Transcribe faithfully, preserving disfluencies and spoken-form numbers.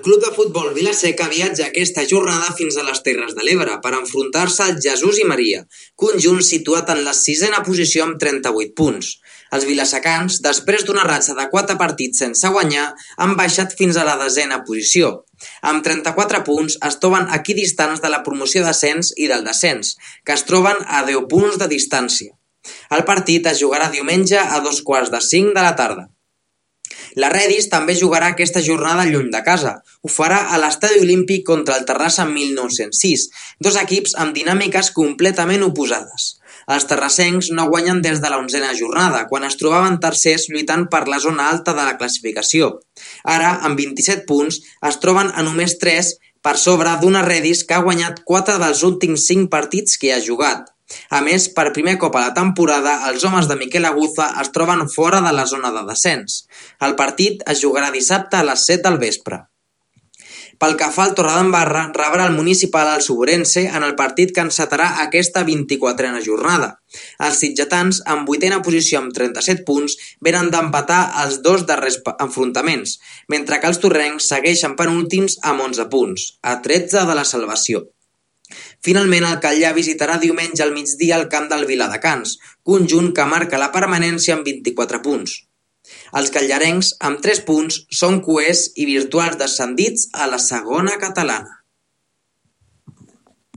El Club de Futbol Vila-seca viatja aquesta jornada fins a les Terres de l'Ebre per enfrontar-se al Jesús i Maria, conjunt situat en la sisena posició amb trenta-vuit punts. Els vilasecans, després d'una ratxa de quatre partits sense guanyar, han baixat fins a la desena posició. Amb trenta-quatre punts es troben equidistants de la promoció d'ascens i del descens, que es troben a deu punts de distància. El partit es jugarà diumenge a dos quarts de cinc de la tarda. La Redis també jugarà aquesta jornada lluny de casa. Ho farà a l'Estadi Olímpic contra el Terrassa mil nou-cents sis, dos equips amb dinàmiques completament oposades. Els terrassencs no guanyen des de la onzena jornada, quan es trobaven tercers lluitant per la zona alta de la classificació. Ara, amb vint-i-set punts, es troben a només tres per sobre d'una Redis que ha guanyat quatre dels últims cinc partits que ha jugat. A més, per primer cop a la temporada, els homes de Miquel Aguza es troben fora de la zona de descens. El partit es jugarà dissabte a les set del vespre. Pel que fa al Torredembarra, rebrà el Municipal al Suborense en el partit que encetarà aquesta vint-i-quatrena jornada. Els sitgetans, en vuitena posició amb trenta-set punts, venen d'empatar els dos darrers enfrontaments, mentre que els torrencs segueixen penúltims amb onze punts, a tretze de la salvació. Finalment, el Catllà visitarà diumenge al migdia el camp del Viladecans, conjunt que marca la permanència amb vint-i-quatre punts. Els catllarencs, amb tres punts, són coers i virtuals descendits a la segona catalana.